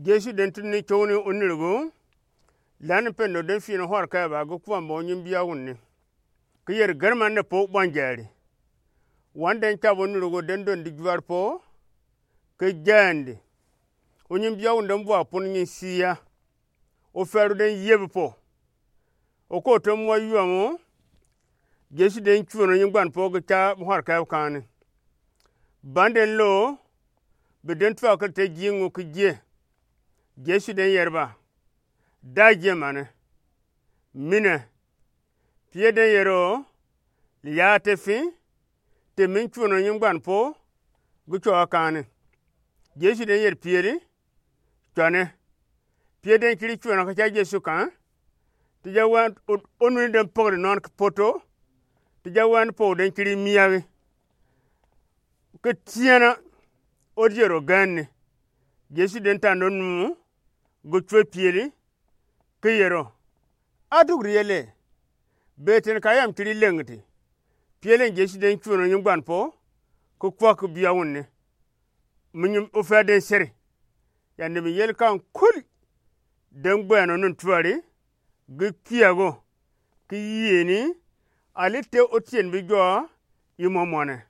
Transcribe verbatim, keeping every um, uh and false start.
Jesu den tuni ni kyow ni onirgu, lani pendo den fino hɔrkɛ ba gi kuan ba onyimbia wunni. Ki yeri gɛrman ne po bɔnjɛri. Wan den kyabu onirgu den dondi juar po, ki jɛndi. Onyimbia wunni den bua pun nyi sia. Ofɛru den yebi po. Oko te mua yuamu, Jesu den kyon onyi gban po gi kya hɔrkɛ kani. Ban den lo, bi den tua kɛ te jingu ki jie. Jesu den yeri ba, da jie mane. Mine. Pie den yeri o, li ya te fi, te min kyon onyi gban po gi kyo kani. Jesu den yeri pie li, kyone. Pie den kiri kyona ka kya Jesu kan. Ti ja wen o-, onu ni den pogri non ki poto. Ti ja wen po den kiri miagi. Ki tiena odiero gɛnni. Jesu den tando nu gi kyo pie li. Ki yero. Adugri yele. Beten ka yam kiri lengti. Pie li Jesu den kyon onyi gban po. Ki kwa ki bia wunni. Minyim ofɛ den seri. Yandi mi yel kan kul. Den gbɛno nun tuari. Gi kiago. Ki yeni. Ali te otien bi jɔ. Imɔ mɔne.